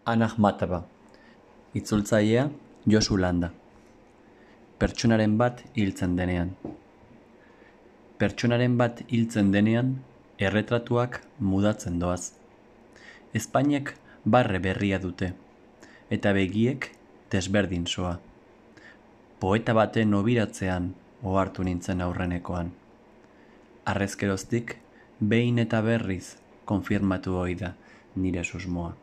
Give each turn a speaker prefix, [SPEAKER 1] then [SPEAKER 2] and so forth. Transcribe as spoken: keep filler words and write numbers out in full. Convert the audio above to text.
[SPEAKER 1] Ana Akhmatova, itzultzailea Josu Landa. Pertsonaren bat hiltzen denean. Pertsonaren bat hiltzen denean, erretratuak mudatzen doaz. Ezpainek barre berria dute, eta begiek desberdin soa. Poeta baten obiratzean ohartu nintzen aurrenekoan. Harrezkeroztik, behin eta berriz konfirmatu ohi da nire susmoa.